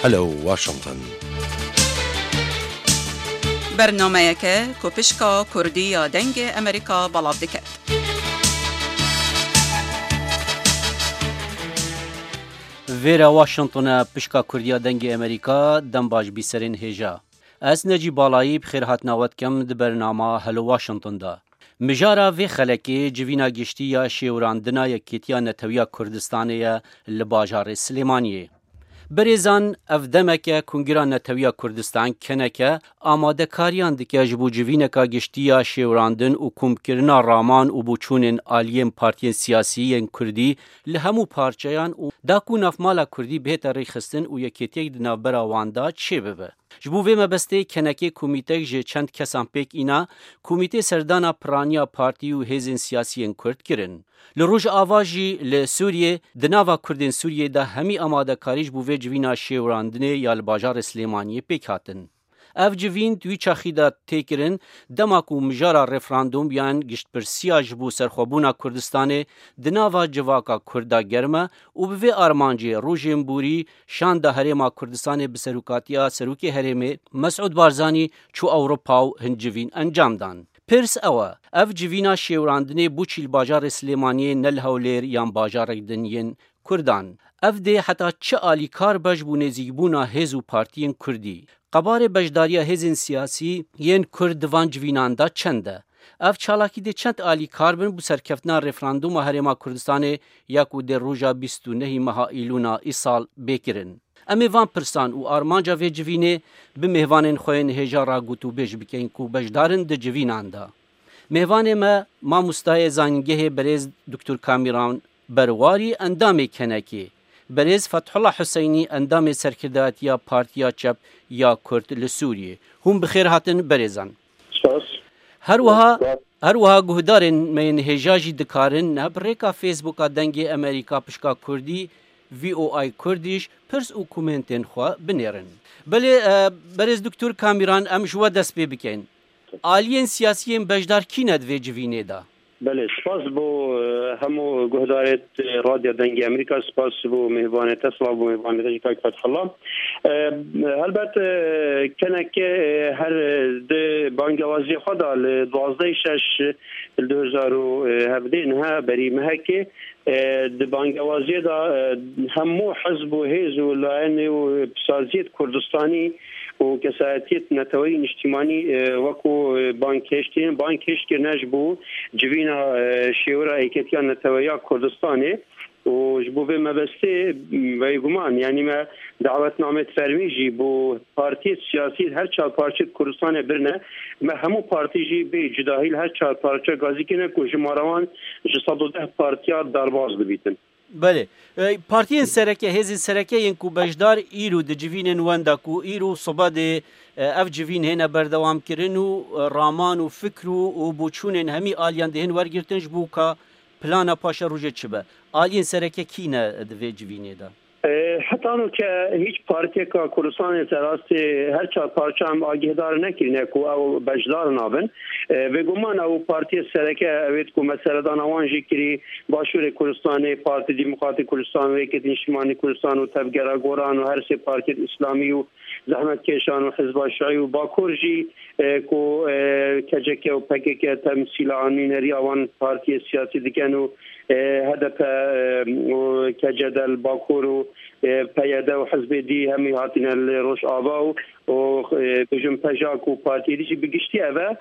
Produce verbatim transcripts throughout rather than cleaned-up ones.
Hello Washington. Bernameyeke ku pişka Kurdî ya Dengê Amerîka belav diket. Vêra Washington e, pişka Kurdiya Dengê Amerîka, dem baş bîserên hêja. Ez Necî Balayî bi xêrhatina we dikim di bernama Hello Washington de. Mijara vê xelekê civîna giştî ya şêwirandina Yekêtiya Netewiya Kurdistanê ye li bajarê Silêmaniyê. Birêzan, ev demeke Kungira Netewiya Kurdistan, keneke, amadekariyan dike ji bo civîneka giştî ya şêwirandin û komkirina raman û boçûnên aliyên partiyên siyasî yên Kurdî li hemû parçeyan û da ku navmala Kurdî bihête rêxistin û yekêtiyek di navbera wan de çêbibe. Ji bo vê mebestê kenekê komîtek ji çend kesan pêk îna, Komîtê Serdana Piraniya Partî û Hêzên Siyasî yên Kurd kirin. Li Rojava jî li Sûriyê, di nava Kurdên Sûriyê de hemî amadekarî ji bo vê civîna şêwirandinê ya li bajarê Silêmaniyê pêk hatin. Ev civîn di wî çaxî de tê kirin, dema ku mijara referandûm yan giştpirsiya ji bo serxwebûna Kurdistanê di nava civaka Kurd de germ e û bi vê armancê rojên borî şanda Herêma Kurdistanê bi serokatiya Serokê Herêmê Mesûd Barzanî çû Ewropa û hin civîn encam dan. Pirs ew e, ev civîna şêwirandinê bo çî li bajarê Silêmaniyê ne li Hewlêr yan bajarek din yên Kurdan? Ev dê heta çi alîkar be ji bo nêzîkbûna hêz û partiyên Kurdî? Qebarê beşdariya hêzên siyasî yên Kurd di van civînan de çend e? Ev çalakî dê çend alîkar bin bo serkeftina referandûma Herêma Kurdistanê ya ku dê roja bîst û nehî meha Îlûna îsal bê kirin? Em ê van pirsan û armanca vê civînê bi mêvanên xwe yên hêja re gotûbêj bikin ku beşdar in di civînan de. Mêvanê me, mamostayê zanîngehê berêz Doktor Kamîran Berwarî, endamê kenekê, berêz Fethullah Huseynî, endamê serkirdatiya Partiya Çep ya Kurd li Sûriyê. Hûn bi xêr hatin berêzan. Spas. Her wiha, Spas. Her wiha guhdarên me yên hêja jî dikarin niha bi rêka Facebooka Dengê Amerîka pişka Kurdî, V O I Kurdish, pirs û komentên xwe binêrin. Belê, e, berêz Doktor Kamîran, em ji we dest pê bikin. Aliyên siyasî yên beşdar kî ne di vê civînê de? Belê, spas bo, e, hemû guhdarê, e, Radyo Dengê Amerîka, spas bo mêvanê te, spas bo mêvanê te jî Kak Fethullah. E, helbet, e, keneke, e, her, e, di bangewaziyê xwe de li duwazdeh şeş li du hezar û hevdeh niha berî mehekê, e, di bangewaziyê de, e, hemû hizb û hêz û layenê û pisaziyêt Kurdistanî û kesayetiyêt neteweyî niştîmanî, e, wekû, e, bang hêşt kirin, bang hêşt kirine ji bo civîna, e, şêwira Êketiya Neteweya Kurdistanê. Û ji bo vê mebestê, bêguman, yanî me dawetnamêt fermî jî bo partiyêt siyasî her çar parçeyê Kurdistanê birine. Me hemû partî jî bê cudahî li her çar parçe gazî kirine ku jimara wan ji sed û deh partiya derbas bibîtin. Belê. E, partiyên sereke, hêzên sereke yên ku beşdar îro di civînên wenda ku îro sibe dê, e, ev civîn hêne berdewam kirin û, e, raman û fikr û, û boçûnên hemî aliyan dê hên wergirtin ji bo ka plana paşerojê çi be? Aliyên sereke kî ne di vê civînê de? E, heta nûke hîç partiyeka Kurdistanê serastê her çar parça em agîhdar nekirine ku ew beşdar nabin. E, bêguman ew partiyê sereke, ewêt ku me seredana wan jî kirî, Başûrê Kurdistanê, Partî Demokratîk Kurdistan û Yekêtî Niştimanî Kurdistan û Tevgera Goran û her sê partiyên Îslamî û zehmetkêşan û Hizba Şiî û Bakur jî, e, ku, e, K C K û P K K temsîla nûneriya wan partiyê siyasî dikin û, e, H D P, e, û K C D li Bakur û, e, P Y D û hizbê dî hemî hatine li Rojava û, û, e, bêjim P J A K û partiyê dî jî bi giştî ev e.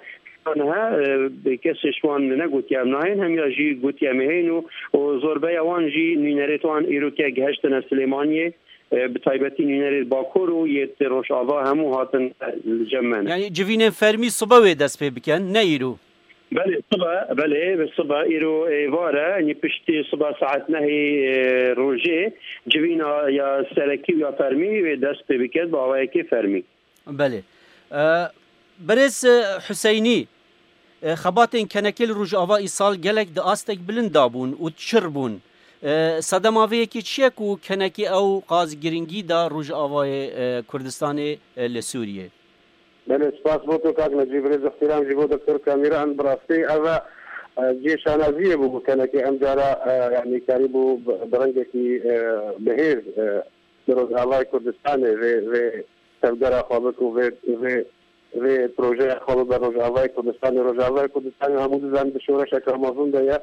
Niha, e, kesê ji wan negotiye em nayên, hemiya jî gotiye em ê hên û, û zorbeya wan jî nûnerêt wan îroke gihiştine Silêmaniyê. E, bi taybetî nûnerê Bakur û yê Rojava hemû hatin, e, li cem me ne. Yanî civînên fermî sibe wê dest pê bikin, ne îro? Belê, sibe, belê, bi sibe, îro êvar e, yanî piştî sibe saet nehê, e, rojê, civîna ya serekî û ya fermî wê dest pê biket, bi awayekê fermî. Belê. E, Birêz, e, Huseynî, e, xebatên kenekê li Rojava îsal gelek di astek bilind de bûn û çir bûn. E, sedema vê yekê çi ye ku kenekê ew qas giringî da Rojavayê, e, Kurdistanê, e, li Sûriyê? Belê, spas bo to kak Necîb, rêz îhtîram jî bo Doktor Kamîran, bi rastî ev e, e, cihê şanaziyê bû ku kenekê em cara, e, yanî karî bû bi, bi rengekî, e, bihêz, e, Li Rojavayê Kurdistanê vê, vê tevgera xwe bik û vê, vê, vê projeya xwe bibe Rojavayê Kurdistanê. Rojavayê Kurdistanê hemû dizanin di şoreşeke mezin de ye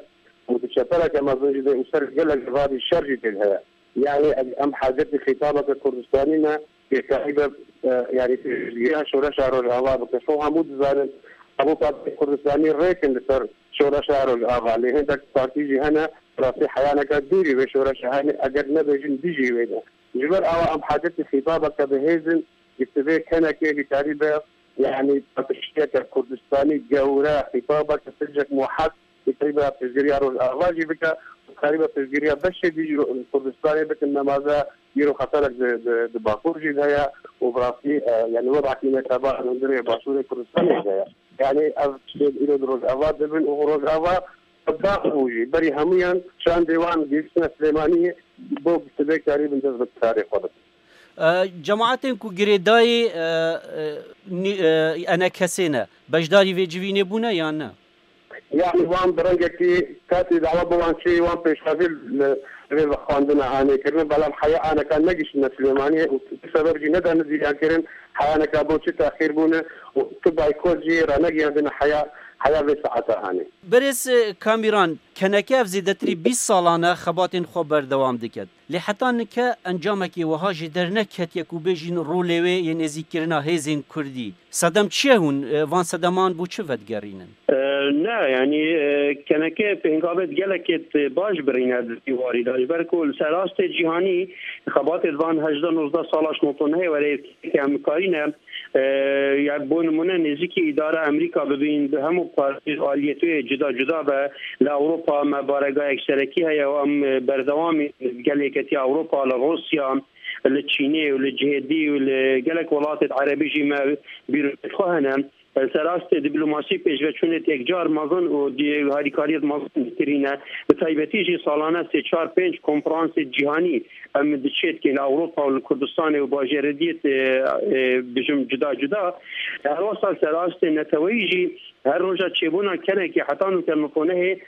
û di çepereke mezin jî de û ser gelek civadî şer jî tê de heye. Yani em hacetî xîtabeke Kurdistanî ne, pêkarî be, e, yani pêşgiriya şoreşa Rojava bike. Xwe hemû dizanin, hemû partiyên Kurdistanî rêkin li ser şoreşa Rojava. Lê hindek partî jî hene, rastî heyaneke dûrî vê şoreşa hene, eger nebêjin dijî wê ne. Ji ber awa em hacetî xîtabeke bihêz in, ji sivê kenekê bikarî be, yani paqijiyeke Kurdistanî gewre, xîtabeke sincek muheq, bikarî be piştgiriya Rojava jî bike, bikarî be piştgiriya beşê dî ji Kurdistanê bikin, nemaze îro xeterek di, di, di Bakur jî de heye û bi rastî, e, yani webekî neteba hundirê Başûrê Kurdistanê de heye. Yani ev tiştê îro di Rojava dibin û Rojava dax bû jî. Berî hemûyan şandê wan gihiştine Silêmaniyê bo sibê karîbin dest bi karê xwe bikin. E, cemaetên ku girêdayî, e, e, nî-, e, enekesê ne, beşdarî vê civînê bûne yan ne? Yani wan bi rengekî katî dawa bi wan çi wan pêşwazî li vê vexwandina anê kirine, belam heya aneka negiştine Silêmaniyê û tu sebeb jî nedane zîriyan kirin, heyaneka bo çi texîr bûne û tu baykot jî ranegiyandine heya, heya vê saeta anê. Berêz, e, Kamîran, keneke ev zêdetirî bîst salan e xebatên xwe berdewam diket. Lê heta nike encamekê wiha jê derneketiye ku bêjin rolê wê yê nêzîkkirina hêzên kurdî. Sedem çi ye hûn, e, van sedeman bo çi vedigerînin? E, ne, yani, e, keneke pêngavê gelekê baş birîne di vî warî de. Ji ber ku li ser astê cîhanî xebatê di van hejdeh nozdeh sala ji notonehê were yê em karîne, e, ya bo nimûne nêzîkî îdara Amerîka bibîn, bi hemû partî aliyetê cuda cuda be. Li Ewropa me barega yekserekî heye û em, e, berdewamî gel Yeketiya Ewropa, li Rûsya, li Çînê û li cihê dî û li gelek welatê Erebî jî me bîroyê xwe hene. Li ser astê dîplomasî pêşveçûnê yekcar mezin û di-, harîkariyê mezin kirîne. Bi taybetî jî salane sê çar pênc konferansê cîhanî em diçêdkin li Ewropa û li Kurdistanê û bajêrê diyê, e, e, bijim cuda cuda. Her wesa li ser astê neteweyî jî her roja çêbûna kenekê heta nûke notonehê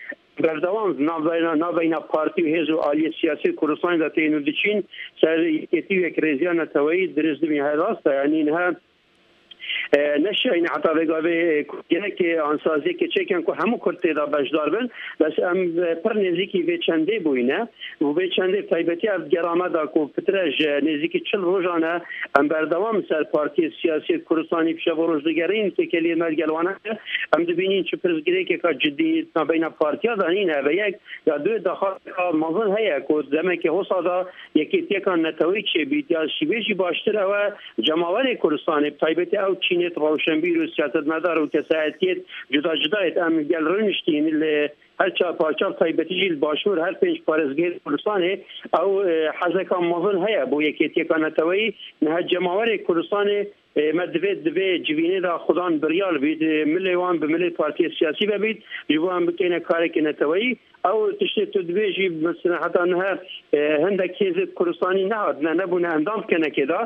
berdewam navbeyna, navbeyna partî û hêz û aliyê siyasî Kurdistanê de tên û diçîn ser yekêtî û yekrêziya neteweyî dirêj dibîn. Her rast e, yanî niha, e, neşiyayîne heta vê gavê, e, ku gelekê ansaziyekê çêkin ku hemû Kurd tê de beşdar bin. Bes em, e, pir nêzîkî vê çendê bûyne û vê çendê taybetî ev gera me da ku pitre ji nêzîkî çil rojan e em berdewam ser partiyê siyasî Kurdistanî bi şev û roj digerîn, têkiliyê me digel wan heye. Em dibînin çi pirsgirêkeka cidî navbeyna partiya de nîne. Ve yek ya du daxwazeka mezin heye ku demeke hosa da yekêtiyeka neteweyî çêbît ya ji vê jî baştir ew e cemawerê Kurdistanê, bi taybetî ew çînêt rewşenbîr û siyasetmedar û kesayetiyêt cuda cuda yêt em gel rûniştîn li her çar parça, bi taybetî jî li başûr her pênc parêzgehên Kurdistanê ew, e, hezeka mezin heye bo yekêtiyeka neteweyî. Niha cemawerê Kurdistanê, e, me divê, divê civînê de xudan biryar bît, e, milê wan bi milê partiyê siyasî ve bît, ji bo em bikeyne karekê neteweyî. Ew tiştê tu dibêjî, mesela heta niha, e, hindek hêzê Kurdistanî nehatine, nebûne endam kenekê de.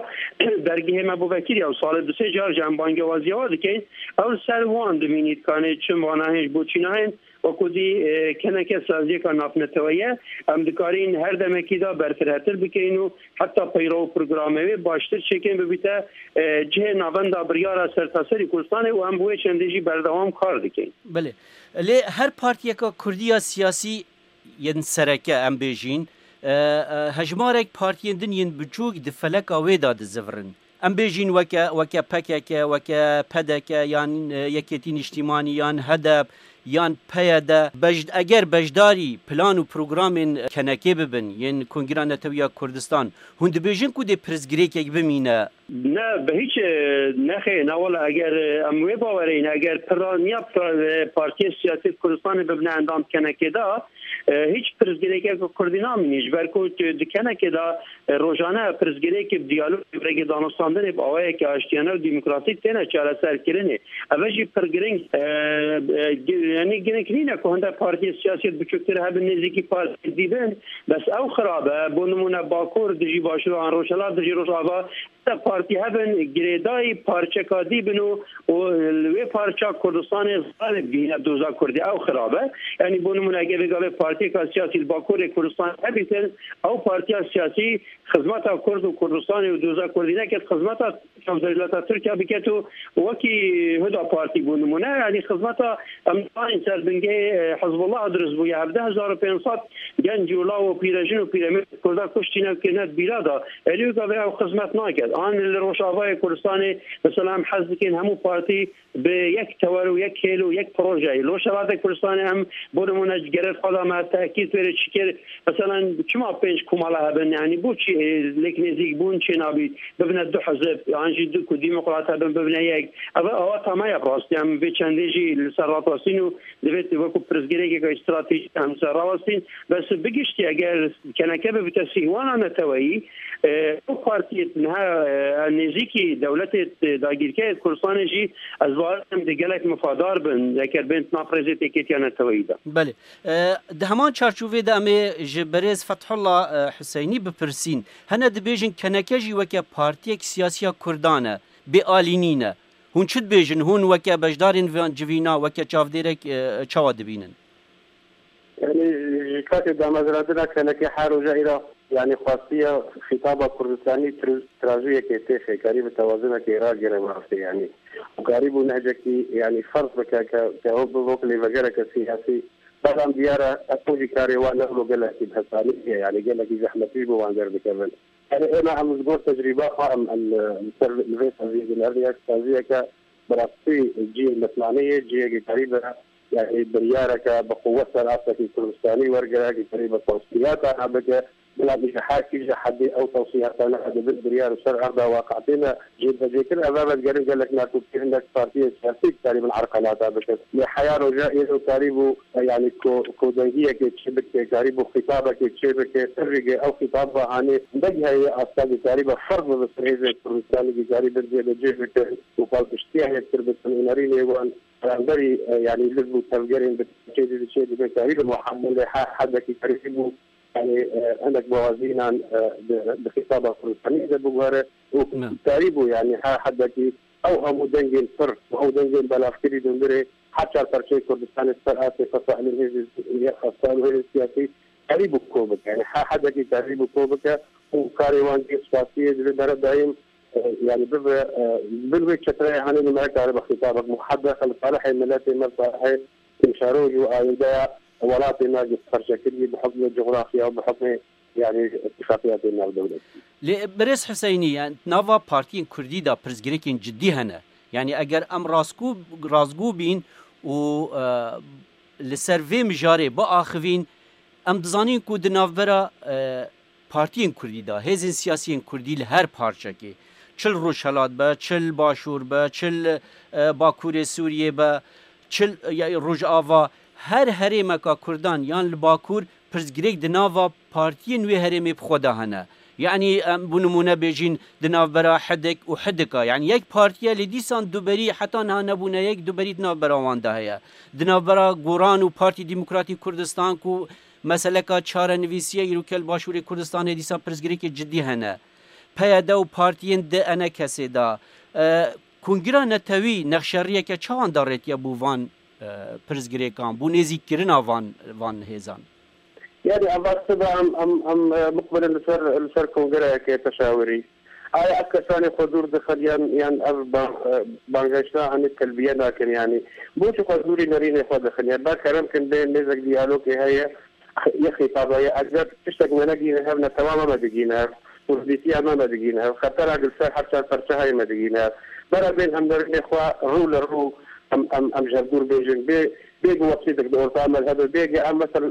Dergehê me bo vekirî ew salê du sê car jî em bangewaziya we dikeyn. Ew li ser wan dimînî dikanê çi vana hên ji bo çîna hên. Wekû dî, e, keneke saziyeka navneteweyî ye. Em dikarîn her demekî de berfirehtir bikeyn û heta peyra û programa wê baştir çêkin bibîte, e, cihê navenda biryara sertaserî Kurdistanê û em bi wê çendê jî berdewam kar dikin. Belê. Lê her partiyeka kurdî ya siyasî yên sereke em bêjîn, e, e, hejmarek partiyên din yên biçûk di feleka wê de dizivirin. Em bêjîn weke, weke P K K, weke P D K, yan, e, Yekêtî Niştîmanî, yan H D P, yan P Y D, bej-, eger beşdarî plan û programên kenekê bibin, yên Kongira Netewî ya Kurdistan, hûn dibêjin ku dê pirsgirêkek bimîne? Ne, bi hiç, e, nexê, ne wele, eger, e, em wê bawerê ne, eger piraniya pra-, e, partiyê siyasî Kurdistanê bibine endam kenekê de, e, hiç pirsgirêkeke Kurdî namînî. Ji ber ku tu di kenekê de, e, rojane pirsgirêkê bi diyalog, bi rêkê danûstandinê, bi awayekî aştiyane û demokrasî têne çareserkirinê. Ev jî pir giring, e, e, gi-, yanî giring nîne ku hinde partiyê siyasî biçûktir hebin, nêzîkî partiyê dî bin, bes ew xirab e. Bo nimûne Bakur dijî Başûr an Rojhilat dijî Rojava, hinde partî hebin, girêdayî parçeka dî bin û, û li wê parça Kurdistanê zarê bigihîne doza Kurdî, ew xirab e. Yanî bo nimûne eger vê gavê partî Partiyeka siyasî li Bakurê Kurdistanê hebîtin, ew partiya siyasî xizmeta Kurd û Kurdistanê û doza Kurdî neket, xizmeta dewleta Tirkiye biket û wekî Huda Partî bû nimûne, yanî xizmeta em zanîn ser bingehê, e, Hizbullah dirust bûye. Hevdeh hezar û pênc sed genc û law û pîrejin û pîremêr Kurda kuştîne, kirine di bîra de. Êlî gavê ew xizmet naket. An li Rojavayê Kurdistanê, mesela em hez dikin hemû partî bi yek tewer û yek hêl û yek projeyê. Li Rojavayê Kurdistanê em, bo nimûne, ji gerê xwe de me tehkîd wêrê çi kir, mesela çima pênc komala hebin, yanî bo çi, e, lêk nêzîk bûn çê nabî, bibine du hizib, yan jî du ku demokrat hebin, bibine yek. Ev aweta me ye bi rastî. Em vê çendê jî li ser rawestîn û divê wekû pirsgirêkeke stratejîk em li ser rawestîn. Bes bi giştî eger keneke bibite sîhwana neteweyî, e, ew partiyê niha, e, nêzîkî dewletê, e, dagîrkerê Kurdistanê jî ez bawer dikim dê gelek mifadar bin, eger bên nav rêzê têkêtiya neteweyî de. Belê. E, di heman çarçovê de em ê ji berêz Fethullah, e, Huseynî bipirsîn. Hene dibêjin keneke jî weke partiyek siyasiya Kurdan e, bêalînî ne. Hûn çi dibêjin? Hûn weke beşdarên van civîna, weke çavdêrek, e, çawa dibînin? Yanî, ji katê damezrandina kenekê her roja îro, yanî, xwestiye xîtaba Kurdistanî tra-, trazûyekê têxe, karî bi tewazinekê ragire bi rastî, yanî. Û karî bû nehcekî, yanî, ferz bike ke, ke ew bibe wek lêvegereke siyasî. Belam diyar e, ew jî karê wan ne wilo gelekî bi hesanî ye, yanî, gelekî zehmetî ji bo wan derdikevin. Yanî, êna em ji gor tecrîba xwe em, em, em ser li vê saziyê dinêrin, ya saziyeke bi rastî cihê mitnanê ye, cihekî karî be, yanî biryareke bi quwet ser astekî Kurdistanî wergire, ki karî be tewsiyata nabike, bila ji her kîje hedê ew tewsiyatane dibin biryar û ser erda waqe têne cêbecêkirin. Ev, ev digerin gelek nakokî hinek partiyên siyasî karîbin erqelata bikin. Lê heya roja êro karîbû, yanî ko-, kodengiyekê çêbike, karîbû xîtabekê çêbike, tirîgê ew xîtaba hanê negiheye asta ki karîbe ferz bibe ser hêzên Kurdistanê ki karîbin cêbecê bikin û palpiştiya hêztir bikin û nerînê wan beramberî, e, yanî liv û tevgerên bi çê didin, çê dibin, karî bi muhammelê her hedekî karî bû, yanî, e, hinek bawazînan, e, bi, bi xîtaba Kurdistanî de biguhere û Ne. karî bû, yanî her hedekî ew hemû dengên pir û ew dengên belavkirî dundirê her çar perçeyê Kurdistanê ser asê fesalên hêzên yexaftan û hêzên siyasî karî bû ko bike. Yanî her hedekî karî bû ko bike û karê wan jî spasiyê divê bere dayîm, e, yanî bibe, e, bin wê çetreyê hanê nimere kare bi xîtabek muhebbe xel salihê miletê me, salihê pêşeroj û ayîndeya welatê me ji perçekirî bi hukmê coxrafya û bi hukmê, yanî, îtîfaqiyatê navdewletî. Lê birêz Huseynî, yani, nava partiyên Kurdî de pirsgirêkên cidî hene. Yani, eger em rastgû, rastgû bîn û, e, li ser vê mijarê biaxivîn, em dizanîn ku di navbera, e, partiyên Kurdî de, hêzên siyasiyên Kurdî li her parçekê, çi li Rojhelat be, çi li Başûr be, çi li, e, Bakurê Sûriyê be, çi li, ya, Rojava, her herêmeka Kurdan yan li Bakur pirsgirêk di nava partiyên wê herêmê bi xwe de hene. Yanî em bo nimûne bêjîn di navbera Hidik û Hidika. Yanî yek partiye lê dîsan duberî heta niha nebûne yek, duberî di navbera wan de heye. Di navbera Goran û Partî Demokratî Kurdistan ku meseleka çarenivîsiyê îro ke li Başûrê Kurdistanê dîsa pirsgirêkê cidî hene. P Y D û partiyên di ENKSê de, e, Kongira Netewî nexşeriyeke çawan darêtiye bo van, e, pirsgirêkan, bo nêzîkkirina van, van hêzan? Yani, eva sibe em, em, em, e, muqbilin li ser, li ser kongreyeke teşawirî. Aya ev kesanê xwe dûr dixin yan, yan ev ba-, e, bangehişta hanê telbiye nakin, yani. Bo çi xwe dûrî nerînê xwe dixin? Yani, ba kerem kin bê mêzek diyalogê heye, yê xîtabeye. Eger tiştek me negîne hev, netewa me me digîne hev, kurdîtiya me me digîne hev, xetera li ser her çar perçe heye me digîne hev. Bera bên em nerînê xwe rû li rû em, em, em ji hev dûr bêjin. Bê, bê ku wextî di orta me hebe, bê ku em mesela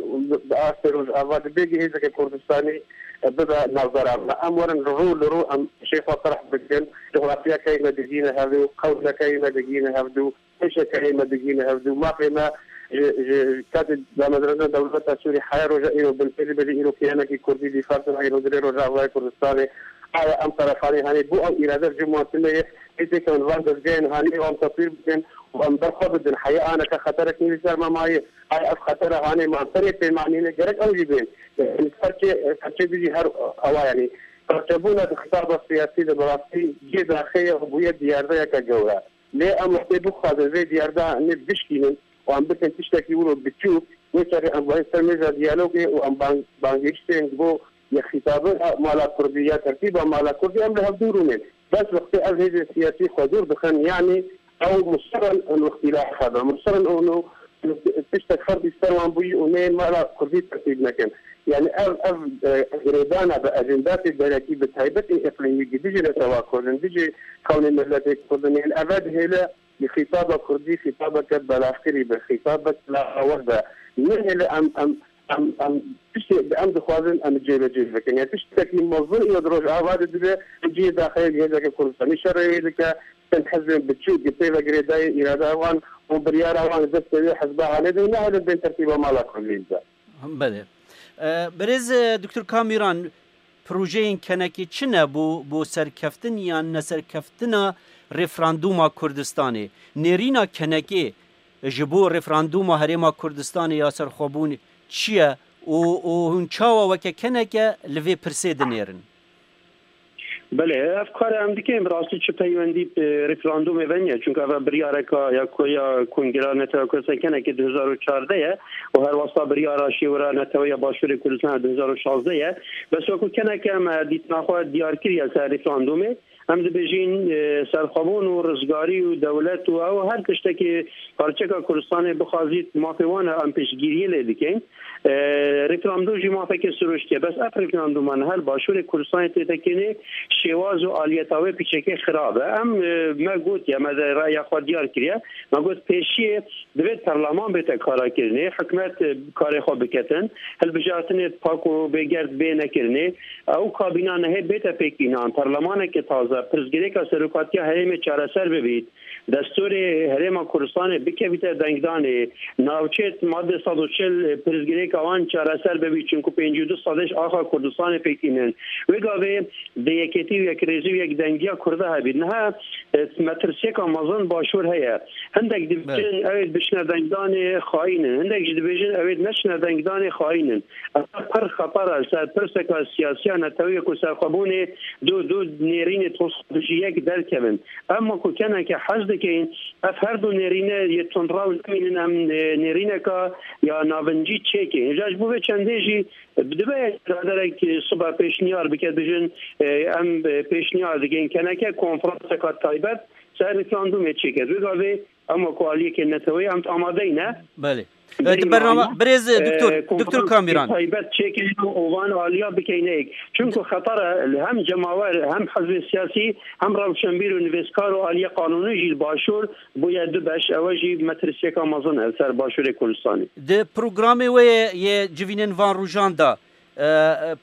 bi astê Rojava de, bê ku hêzeke Kurdistanî, e, bibe navbera me. Em werin rû li rû em şê xwe ferh bikin. Coxrafyakeyê me digîne hevdû, qewmekeyê me digîne hevdû, pêşekeyê me digîne hevdû. Mafê me ji, ji katê damezrandina dewleta Sûrî heya roja îro binpêlî be, îro kiyanekî Kurdî dîfar dike, îro dilê Rojavayê Kurdistanê. Aya em terefanê hanê bo ew îrade ji wan tune ye, ê têkevin van dezgehên hanê û em tetwîr bikin û em ber xwe bidin. Heya aneke xeterek nî li ser me maye. Aya ev xetera hanê me em tenê pêmanîne, gerek ew jî bên. Yanî perçe, perçe dijî her ewa, yanî perçebûna di xitaba siyasî de bi rastî cihê daxê ye û bûye diyardeyeke gewre. Lê em wextê bixwazin vê diyarda nê bişkînin û em bikin tiştekî wilo biçûk, Wê çaxê em vayê ser mêza diyalogê û em bang-, bangêştên ji bo ya xîtabê mala kurdî ya tertîba mala kurdî em li hevdû rûnên. Bes wextê ev hêzên siyasî xwe dûr dixin, yanî ew musirin in îxtîlafa be, musirin û tiştek ferdî ser wan bûyî û nê mala kurdî tertîb nekin. Yanî ev, ev, e, girêdana bi ejendasê derekî bi taybetî îqlîmî dijî netewa kurdin, dijî xewnê miletê kurdin, yanî ev dihêle xîtaba kurdî xîtabeke belavkirî be, xîtabek lawaz be. Nehêle em, em, em, em tiştê em dixwazin em cêbecê bikin. Ya tiştekî mezin ya di Rojava de dibe, cihê daxeyê hêzeke Kurdistanî şerê wê dike, çend hizbên biçûk di pê ve girêdayî îrada wan û biryara wan destê wê hizba hanê de û nehêlin bên tertîba mala kurdî bibe. Belê. E, Birêz, e, Doktor Kamîran, projeyên kenekê çi ne bo, bo serkeftin yan neserkeftina referandûma Kurdistanê? Nêrîna kenekê ji bo referandûma Herêma Kurdistanê ya serxwebûn çi ye û, û hûn çawa weke keneke li vê pirsê dinêrin? Belê, ev kar em dikin, bi rastî çi peywendî bi referandûmê ve niye? Çunke ev biryareka ya ku ya Kongreya Netewa Kurdistan kenekê du hezar û çardeh ye û her wasta biryara şêwira neteweya Başûrê Kurdistan du hezar û şazdeh ye. Bes wekû keneke me dîtina xwe diyar kiriye ser referandûmê. Em dibêjin, e, serxwebûn û rizgarî û dewlet û ew her tiştekî parçeka Kurdistanê bixwazît mafê wan e, em piştgiriyê lê dikin. E, referandûm jî mafeke sirûştî ye. Bes ev referandûma niha li Başûrê Kurdistanê tê tekinê, şêwaz û aliyeta wê piçekê xirab e. Em, e, me gotiye, me de raya xwe diyar kiriye. Me got pêşiyê divê perleman bête kara kirinê, hikûmet, e, karê xwe biketin, hilbijartinê pak û bêgerd bê nekirinê. Ew kabîna nehê bête pêkînan, perlemaneke taze, pirsgirêka serokatiya herêmê çareser bibît. Destûrê Herêma Kurdistanê bikevîte dengdanê, navçeyê madde sed û çil pirsgirêka wan çareser bibî, çunku pêncî û du sedê ji axa Kurdistanê pêk tînin. Wê gavê di yekêtî û yekrêzî û yekdengiya Kurda hebî. Niha, e, metirsiyeka mezin Başûr heye. Hindek dibêjin, evet, ew ê bişine dengdanê xayîn in. Hindek jî dibêjin, ew ê neçine dengdanê xayîn in. Ev pir xeter e, ser pirseka siyasiya netewî ku serxwebûnê du, du nêrînê tosa dijî yek derkevin. Em wekû keneke hez dikin, ev her du nêrîne yê tundrew nemînin, em, e, nêrîneka ya navincî çêkin. Îja ji bo vê çendê jî, e, dibe biraderek, e, sibe pêşniyar bike, dijin, e, em, e, pêşniyar dikin keneke konferanseka taybet ser referandûmê çêke. Wê gavê em wekû aliyekê neteweyî em amadeyî ne. Belê. E, Berî di bernama, mayî, birêz, e, doktor, e, doktor konferansê Kamîran. Taybet çêkin û van aliya bikeyne yek. Çunku xeter e, li hem cemawer, hem hizbê siyasî, hem rewşenbîr û nivîskar û aliyê qanûnî jî li Başûr bûye du beş. Ewe jî metirsiyeka mezin e ser Başûrê Kurdistanê. Di programê we yê civînên van rojan de, e,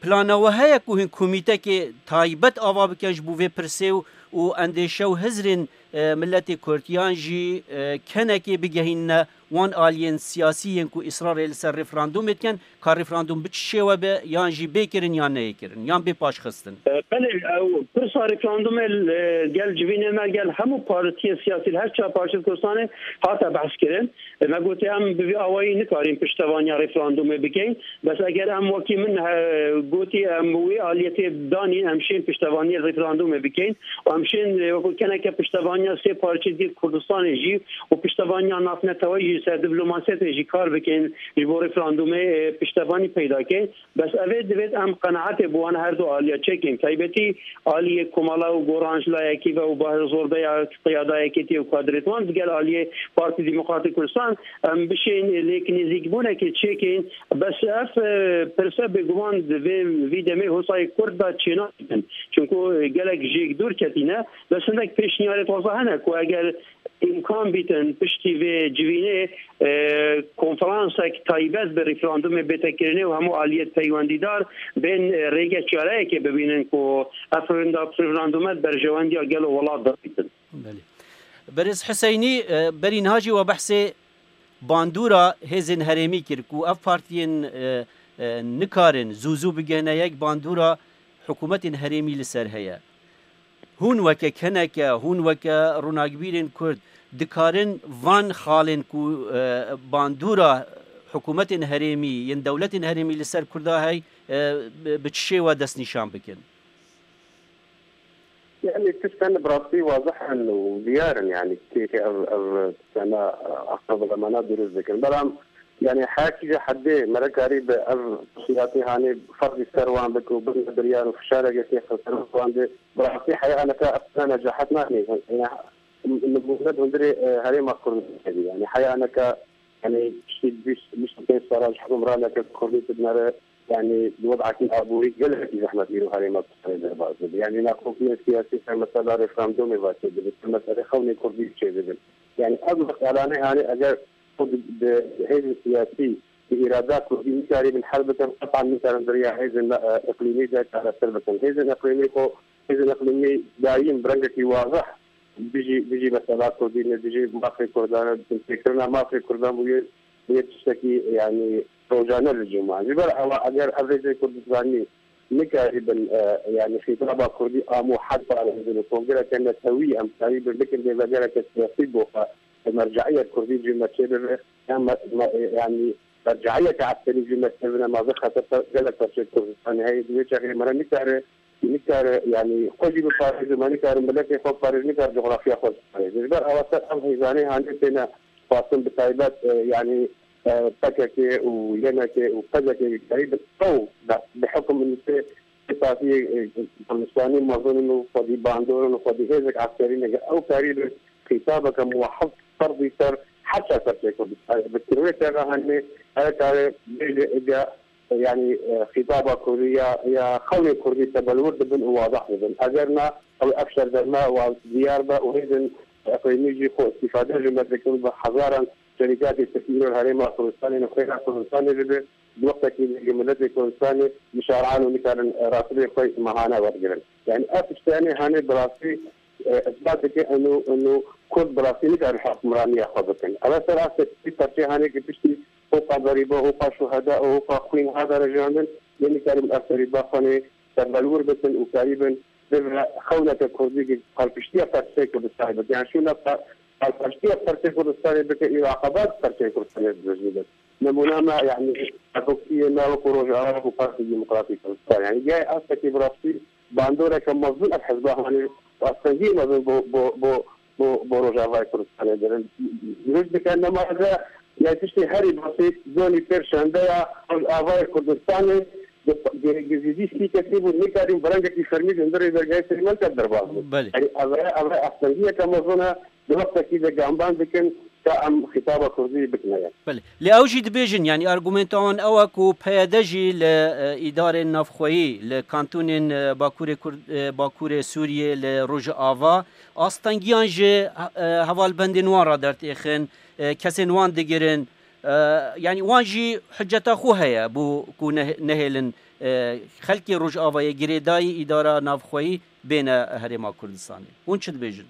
plana we heye ku hûn komîtekê taybet ava bikin ji bo vê pirsê û, û endêşe û hizrên, e, miletê Kurd yan jî, e, kenekê bigehînine wan aliyên siyasî yên ku îsrarê li ser referandûmê dikin, ka referandûm bi çi şêwe be, yan jî bê kirin yan neyê kirin, yan bê paşxistin? E, belê, ew pirsa referandûmê, e, gel civînê me, gel hemû partiyên siyasî li her çar parçeyê Kurdistanê hate behs kirin. E, me gotiye em bi vî awayî nikarîn piştevaniya referandûmê bikeyn. Bes eger em wekî min, e, gotî em wê aliyetê danîn, em şên piştevaniya referandûmê bikeyn û em şên, e, wekî keneke piştevaniya sê parçeyê dî Kurdistanê jî û piştevaniya navneteweyî jî ser diplomasiyetê jî kar bikin, ji bo referandûmê, e, piştevanî peyda ke. Bes ev ê divêt em qenaetê bi wan her du aliya çêkin. Taybetî aliyê Komala û Goran ji layekî ve û Bahir Zorbeya qiyada yekêtî û kadrêt wan digel aliyê Partî Demokratîk Kurdistan em bişên lêk nêzîkbûnekê çêkin. Bes ev, e, pirse bêguman di vê, vî demê hosayê Kurd de çênakin. Çunku, e, gelek jêk dûr ketîne. Bes hindek pêşniyarê taze hene ku eger îmkan bîtin piştî vê civînê, e, konferansek taybet bi referandumê bête kirinê û hemû aliyet peywendîdar bên, e, rêge çareyekê bibînin ku ev referenda-, referandume di berjewendiya gelo welat de bîtin. Belê. Berêz Hiseynî, e, berî niha jî we behsê bandora hêzên herêmî kir ku ev partiyên, e, e, nikarin zû zû bigihine yek bandora hikûmetên herêmî li ser heye. Hûn weke keneke, hûn weke ronakbîrên Kurd dikarin van xalên ku, e, bandora hikûmetên herêmî, yên dewletên herêmî li ser Kurda hey, e, bi, bi çi şêwe destnîşan bikin? Yani tiştên bi rastî wazih in û diyar in, yani kêkê ev, ev tiştana aqil bilemana dirust dikin. Belam Yani her kî ji heddê mere karî bi ev siyasetê hanê ferdî ser wan bike û bin biryar û fişareke kê ser wan de, bi rastî heya neke ev ne necahet nayê. Yani nimûne hundirê, e, herêma Kurdistanê. Yani heya neke, yani piştî bîst, bîst û pênc sala ji hukimraneke Kurdî dinere, yani di wedakî aborî gelekî zehmet îro herêma Kurdistanê derbas dibe. Yani nakokiya siyasî ser mesela referandumê ve çêdibe, ser meselê xewnê Kurdî çêdibe. Yani ev meselanê hanê eger xwe di, di hêzên siyasî, bi îrada Kurdî nikarîbin hel bikin, qetan nikarin di riya hêzên, e, iqlîmî de çareser bikin. Hêzên iqlîmî xwe, hêzên iqlîmî dayîm bi rengekî wazeh dijî, dijî mesela Kurdî ne, dijî mafê Kurdan e, têkirina mafê Kurdan bûye, bûye tiştekî, yani, rojane li cem wan. Ji ber ewa eger ev hêzên Kurdistanî nikarîbin, e, yani xîtaba Kurdî amo hed parêzin û kongreke netewî em karîbin bikin lêvegereke siyasî bo xwe, merceiyet Kurdî cî me çê bibe, yan me, me, yani merceiyeke eskerî cî me çê bine, ma vê xeter gelek parçeyê Kurdistanê heye, di wê çaxê me re nikare, nikare, yani xwe jî biparêze, me nikare miletê xwe biparêze, nikare coxrafya xwe biparêze. Ji ber ewa ser ev hêzanê hanê têne xwestin bi taybet, e, yani, e, P K K û Y N K û P D K karî bi ew bi, bi hukum nûsê sipasiyê, e, Kurdistanî mezin in û xwedî bandor in û xwedî hêzek eskerî ne. Ew karî bi xîtabeke muwehhid ferdî ser her çar perçeyê Kurdistanê bi kirwê tera hanê her karê bêje ege, yani, e, xîtaba Kurdî ya, ya xewnê Kurdî tebelwir dibin û wadeh dibin. Eger na, ew ev şer derme wa diyar be û hêzên iqlîmî jî xwe îstîfade ji me dikin, bi hezaran şerîkatê Tirkî îro li herêma Kurdistanê, li xêra Kurdistanê dibe, di wextekî de miletê Kurdistanê mişaran û nikarin, e, rastibê xwe mehane wergirin. Yani ev tiştanê hanê bi rastî, e, isbat dike eno, eno Kurd bi rastî nikarin hukmraniya xwe bikin. Ev ser astekî perçê hanê ki piştî hoqa berîba, hoqa şuheda û hoqa xwîn hate rejandin, yê nikarin ev serîba xwe nê tebelwir bikin û karîbin bibe xewneke Kurdî ki palpiştiya perçeyê Kurdistanê bike. Yani şûna pa-, palpiştiya perçeyê Kurdistanê bike, îro aqebat perçeyê Kurdistanê dijî bike. Nemûna me, yani, tevokiyê me wekî Rojava û Partî Demokratîk Kurdistan. Yani, gayê astekî bi rastî bandoreke mezin ev hizba hanê û astengiyê mezin bo, bo, bo, bo, bo Rojavayê Kurdistanê dirin. Dirust dike nema de, yani, tiştê herî basît, zonî pêr şendeya Rojavayê Kurdistanê, di, di, di zîdî sî kesî bû, nikarîn bi rengekî fermî di hundirê dergehê Serî Melket derbas bû. Belê. Yani, ev e, ev e astengiyeke mezin e, di wextekî de gamban dikin, ka em xîtaba Kurdî bikine ye. Belê. Lê ew jî dibêjin, yanî argumenta wan ew e ku P Y D jî li, e, îdarên navxweyî, li kantonên, e, Bakurê Kurd-, e, Bakurê Sûriyê, li Rojava, astengiyan ji, e, hevalbendên wan re dertêxin, e, kesên wan digirin. E, yanî wan jî hiceta xwe heye bo ku neh-, nehêlin, e, xelkê Rojavayê girêdayî îdara navxweyî bêne Herêma Kurdistanê. Hûn çi dibêjin?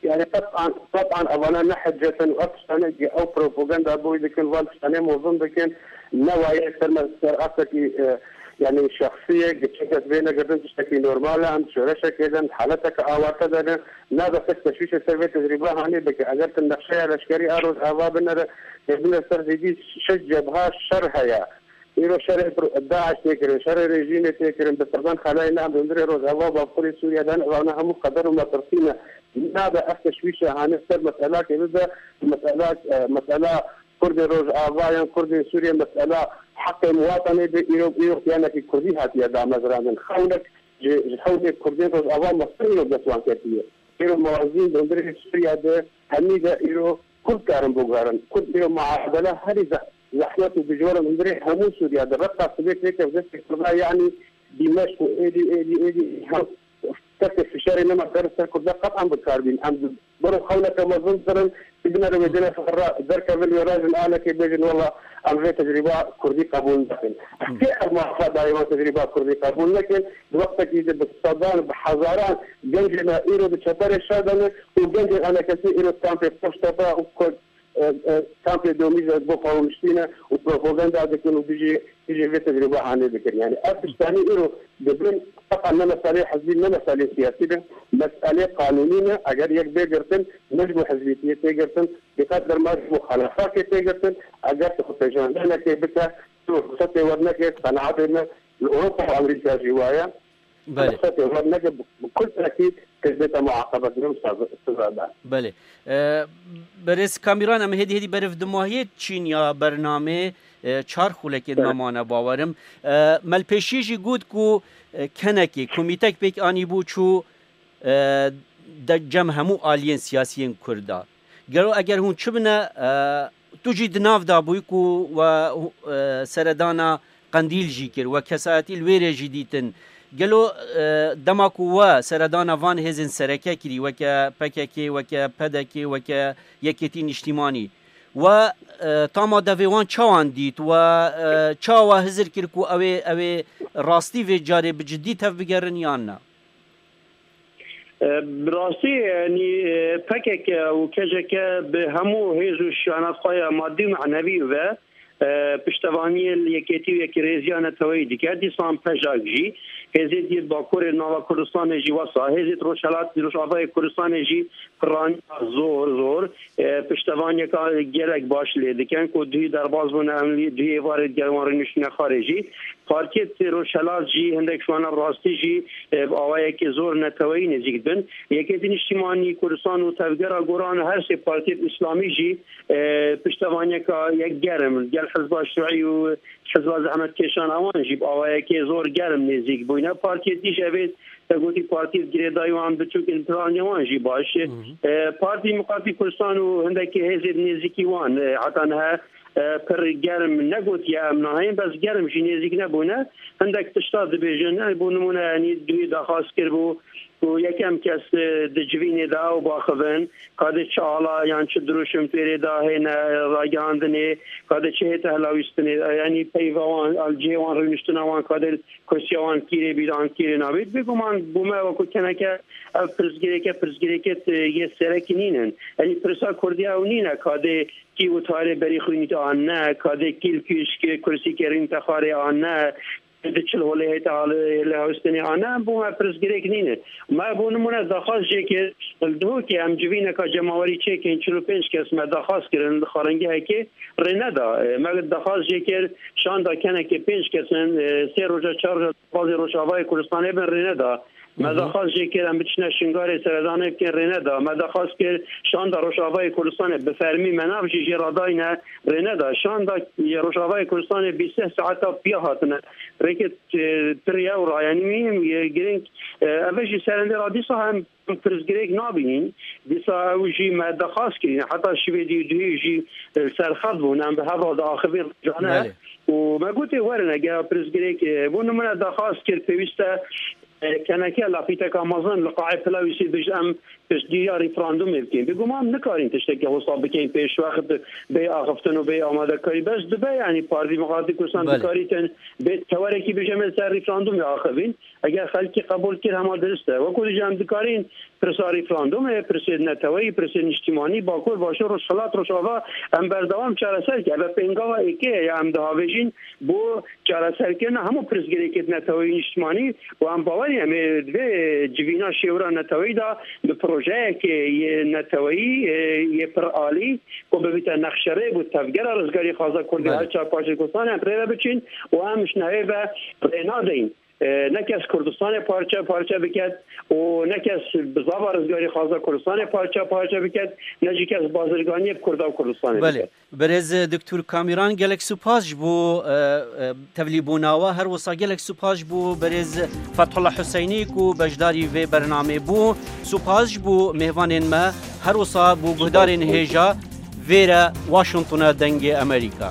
Yani qet'an, qet'an evana ne hicet in û ev tiştane ki ew propaganda boy dikin, van tiştane mozin dikin, ne waye ser me, ser asekî, e, yani şexsî ye, giçek ez bê negirtin tiştekî normal e, em şoreşekê de ne, haleteke awarte de ne, nabe kes teşwîşê ser vê tecrîba hanê bike. Eger tu nexşeya leşkerî a Rojava binere, binere ser zêdî şeş cebha şer heye. Îro şerê pro-, DAIŞ tê kirin, şerê rejîmê tê kirin, bi sedan xelayê ne em di hundirê Rojava û Bakurê Sûriye de ne, ewana hemû qeder û metirsî ne. Nabe ev teşwîşe hanê ser meselakê bibe, mesela, e, mesela Kurdê Rojava yan Kurdê Sûriye, mesela heqê muwatenê be, îro, îro kiyanekî Kurdî hatiye damezrandin. Xewnek ji, ji xewnê Kurdên Rojava mezin îro dest wan ketiye. Îro mewazîn di hundirê Sûriye de hemî de îro Kurd karin biguherin. Kurd îro muadele herî zeh-, zehmet û dijwar in hundirê hemû Sûriye de. Reqa sibê têkev destê Kurda, yanî Dîmeşq û êdî, êdî, êdî hem kesê fişarê nema ser, ser Kurda qet'an bi kar bîn. Em di ber û xewneke mezin dirin, ki binere wê dine ferra derkevin wê rajin anekê bêjin, wela em vê tecrîba Kurdî qebûl nakin. Kê ev mafadayê wan tecrîba Kurdî qebûl nekin? Di wextekî de bi sedan, bi hezaran gencê me îro di çeperê şer de ne û gencên enekesî îro kampê Qoştepe û Ko-, e, e, kampê Domîze bo xwe rûniştîne û propaganda dikin û dijî, dijî vê tecrûbe hanê dikin. Yani ev tiştanî îro dibin qetan ne meselê hizbî, ne meselê siyasî be, meselê qanûnî ne. Eger yek bê girtin, ne ji bo hizbîtiyê tê girtin, bi qet derma ji muxalefakê tê girtin. Eger tu xwe pêjandenekê bike, tu ruxsetê werneke, qenaetê me li Ewropa û Amerîka jî waye. Belê. Qesetê wan neke bi, bi kul tekî tê bête muaqebe, dinim seza da. Belê. E, Berêz Kamîran, em hêdî hêdî beriv dimahiyê çîn ya bernamê, e, çar xulekên Belê. me mane bawerim. E, Melpêşî jî got ku, e, kenekê, komîtek pêk anîbû çû, e, de cem hemû aliyên siyasiyên Kurda. Gelo eger hûn çi bine, e, tu jî di nav de bûyî ku we, e, seredana Qendîl jî kir, we kesayetî li wê rê jî dîtin. Gelo, e, dema ku we seredana van hêzên sereke kirî, weke P K K, weke P D K, weke Yekêtî Niştîmanî, we, e, tama devê wan çawan dît? We, e, çawa hizir kir ku ew ê, ew ê rastî vê carê bi cidî tevbigerin yan na? E, bi rastî, yanî, e, P K K û K C K bi hemû hêz û şiyana xwe ya madî û manevî ve, e, piştevaniyê li yekêtî û yekrêziya neteweyî dike. Dîsan P J A K jî, hêzê dî Bakurê nava Kurdistanê jî wesa, hêzê Rojhelat, Rojavayê Kurdistanê jî piraniya zor, zor, e, piştevaniyeka gelek baş lê dikin ku duhî derbas bûne, em duhî êvarê digel wan rûniştine xwarê jî. Partiyê Rojhelat jî hindek ji wana rastî jî, e, bi awayekê zor neteweyî nêzîk dibin. Yekêtî Niştîmanî Kurdistan û Tevgera Goran, her sê partiyê Îslamî jî, e, piştevaniyeka yek germ, gel Hizba Şuî û Hizba Zehmetkêşan, ewan jî bi awayekê zor germ nêzîk bûyne. Partiyê dî jî evê te gotî partiyê girêdayî wan biçûk in, piraniya wan jî baş. Hı hı. E, Partî Demokratîk Kurdistan û hindekî hêzê nêzîkî wan, e, heta niha, e, pir germ negotiye em nahên, bes germ jî nêzîk nebûne. Hindek tişta dibêjin, e, bo nimûne, yanî duhî daxwaz kiribû ku yekem kes, e, di civînê de ew baxivin, ka dê çi ala yan çi dirûşim têrê de hêne ragihandinê, ka dê çi hête helawîstinê, e, yanî peyva wan, al cihê wan rûniştina wan, ka dê kursiya wan kîrê bî, an kîrê nabît. Bêguman bo me wekû keneke ev pirsgirêke, pirsgirêke, e, yê serekî nînin. Yanî pirsa Kurdiya ew nîne, ka dê kî û tarê berî xwînî an ne, ka dê kî li kî ji kursî kerîn te xwarê an ne, di çil holê hête lê hawîstinê an ne, bo me pirsgirêk nîne. Me bo nimûne daxwaz jê kir, li Duhokê em civîneka cemawerî çêkin, çil û pênc kes me daxwaz kirin, li xarengehekê rê neda. E, me daxwaz jê kir, şanda kenekê pênc kes in, e, sê roja, çar roja, bazê Rojavayê Kurdistanê bin rê neda. Me Hı hı. daxwaz jê kir, em biçine Şingalê seredanê bikin, rê neda. Me daxwaz kir, şanda Rojavayê Kurdistanê bi fermî me nav jî jê radayne, rê neda. Şanda Rojavayê Kurdistanê bîst saeta piya hatine. Rêkê, e, pir yew ra, yanî mîhim, e, girîng, e, ev jî serendê ra dîsa em pirsgirêk nabînin. Dîsa ew jî me daxwaz kirîne. Heta şivê dî û duhî jî, e, li ser xet bûn. Em bi hev re diaxivîn rojane. Belê. Û me gotê werin, eger pirsgirêk, e, bo nimûne daxwaz kir, pêwîst e, e, keneke lafîteka mezin li qa'ê Pilawîsê bêje, em piştgiriya referandumê bikin. Bêguman nikarîn tiştekî wisa bikin pêşwext bê axiftin û bê amadekarî. Bes dibe, yanî Partî Demokratîk Kurdistan Belê. dikarîtin bê tewerekî bêje, em ê ser referandumê axivîn. Eger xelkê qebûl kir, hema dirist e. Wekû dî jî em dikarîn pirsa referandumê, pirsê neteweyî, pirsê niştimanî, Bakur, Başûr, Rojhilat, Rojava, em berdewam çareser ke. Eve pêngava êkê ye ya em dihavêjîn bo çareserkirina hemû pirsgirêkê neteweyî, niştimanî, û em bawer in em ê di vê civîna şêwira neteweyî de bi projeyekê yê neteweyî, e, yê piralî, ku bibîte nexşerê bo tevgera rizgarî xaza Kurdî Belê. her çar parçeyê Kurdistanê em rê ve biçin û em ji nehê ve rê nadin. E, ne kes Kurdistanê parçe parçe biket û ne kes bizava rizgarî xaza Kurdistanê parçe parçe biket, ne jî kes bazirganiyê bi Kurda û Kurdistanê Belê. biket. Berêz Doktor Kamîran, gelek spas ji bo, e, e, tevlîbûna we. Her wisa gelek spas ji bo berêz Fethullah Huseynî ku beşdarî vê bernamê bû. Spas ji bo mêvanên me. Her wisa bo guhdarên hêja vêre Washingtona Dengê Amerîka.